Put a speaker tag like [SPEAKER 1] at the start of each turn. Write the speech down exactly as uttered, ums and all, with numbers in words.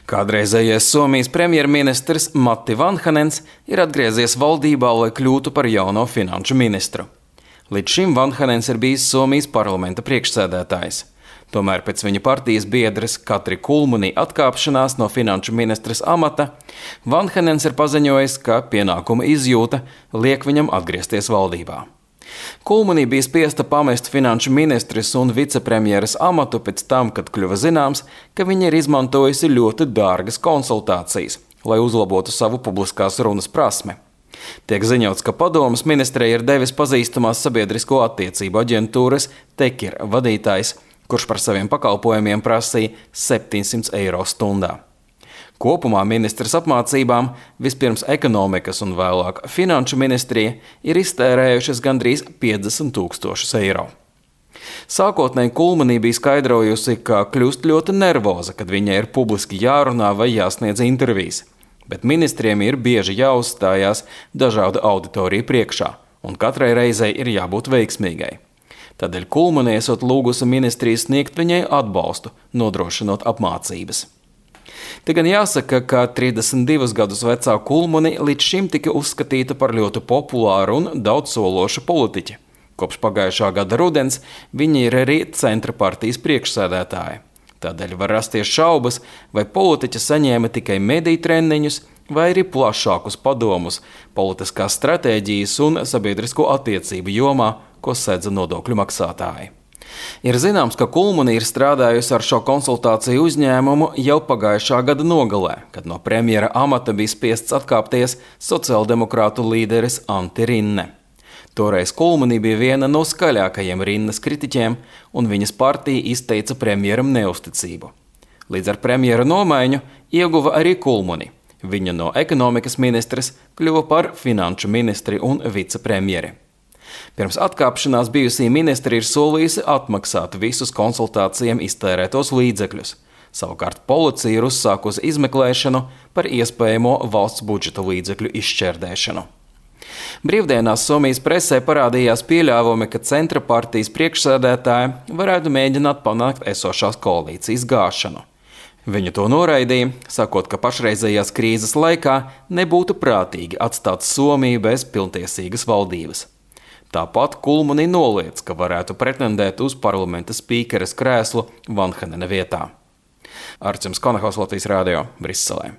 [SPEAKER 1] Kādreizējais Somijas premjerministrs Matti Vanhanens ir atgriezies valdībā, lai kļūtu par jauno finanšu ministru. Līdz šim Vanhanens ir bijis Somijas parlamenta priekšsēdētājs. Tomēr pēc viņa partijas biedres Katri Kulmuni atkāpšanās no finanšu ministres amata, Vanhanens ir paziņojis, ka pienākuma izjūta liek viņam atgriezties valdībā. Kulmuni bija spiesta pamest finanšu ministres un vicepremjeras amatu pēc tam, kad kļuva zināms, ka viņa ir izmantojusi ļoti dārgas konsultācijas, lai uzlabotu savu publiskās runas prasmi. Tiek ziņots, ka padomes ministrei ir devis pazīstamās sabiedrisko attiecību aģentūras Tekir vadītājs, kurš par saviem pakalpojumiem prasīja septiņsimt eiro stundā. Kopumā ministras apmācībām vispirms ekonomikas un vēlāk finanšu ministrija ir iztērējušas gandrīz piecdesmit tūkstošus eiro. Sākotnēji Kulmuni bija skaidrojusi, ka kļūst ļoti nervoza, kad viņai ir publiski jārunā vai jāsniedz intervijas, bet ministriem ir bieži jāuzstājās dažādu auditoriju priekšā, un katrai reizei ir jābūt veiksmīgai. Tādēļ Kulmuni esot lūgusi ministriju sniegt viņai atbalstu, nodrošinot apmācības. Te gan jāsaka, ka trīsdesmit divus gadus vecā Kulmuni līdz šim tika uzskatīta par ļoti populāru un daudzsološu politiķi. Kopš pagājušā gada rudens viņa ir arī centra partijas priekšsēdētāja. Tādēļ var rasties šaubas, vai politiķa saņēma tikai mediju treniņus vai arī plašākus padomus politiskās stratēģijas un sabiedrisko attiecību jomā, ko sedza nodokļu maksātāji. Ir zināms, ka Kulmuni ir strādājusi ar šo konsultāciju uzņēmumu jau pagājušā gada nogalē, kad no premjera amata bija spiests atkāpties sociāldemokrātu līderis Antti Rinne. Toreiz Kulmuni bija viena no skaļākajiem Rinnes kritiķiem, un viņas partija izteica premjeram neusticību. Līdz ar premjera nomaiņu ieguva arī Kulmuni. Viņa no ekonomikas ministres kļuva par finanšu ministri un vicepremjeri. Pirms atkāpšanās bijusī ministri ir solījusi atmaksāt visus konsultācijām iztērētos līdzekļus. Savukārt policija ir uzsākusi izmeklēšanu par iespējamo valsts budžeta līdzekļu izšķērdēšanu. Brīvdienās Somijas presē parādījās pieļāvumi, ka centra partijas priekšsēdētāji varētu mēģināt panākt esošās koalīcijas gāšanu. Viņa to noraidīja, sakot, ka pašreizējās krīzes laikā nebūtu prātīgi atstāt Somiju bez pilntiesīgas valdības. Tāpat Kulmuni noliedz, ka varētu pretendēt uz parlamenta spīkeres krēslu Vanhanena vietā. Arčuns Konahaus, Latvijas radio, Briselē.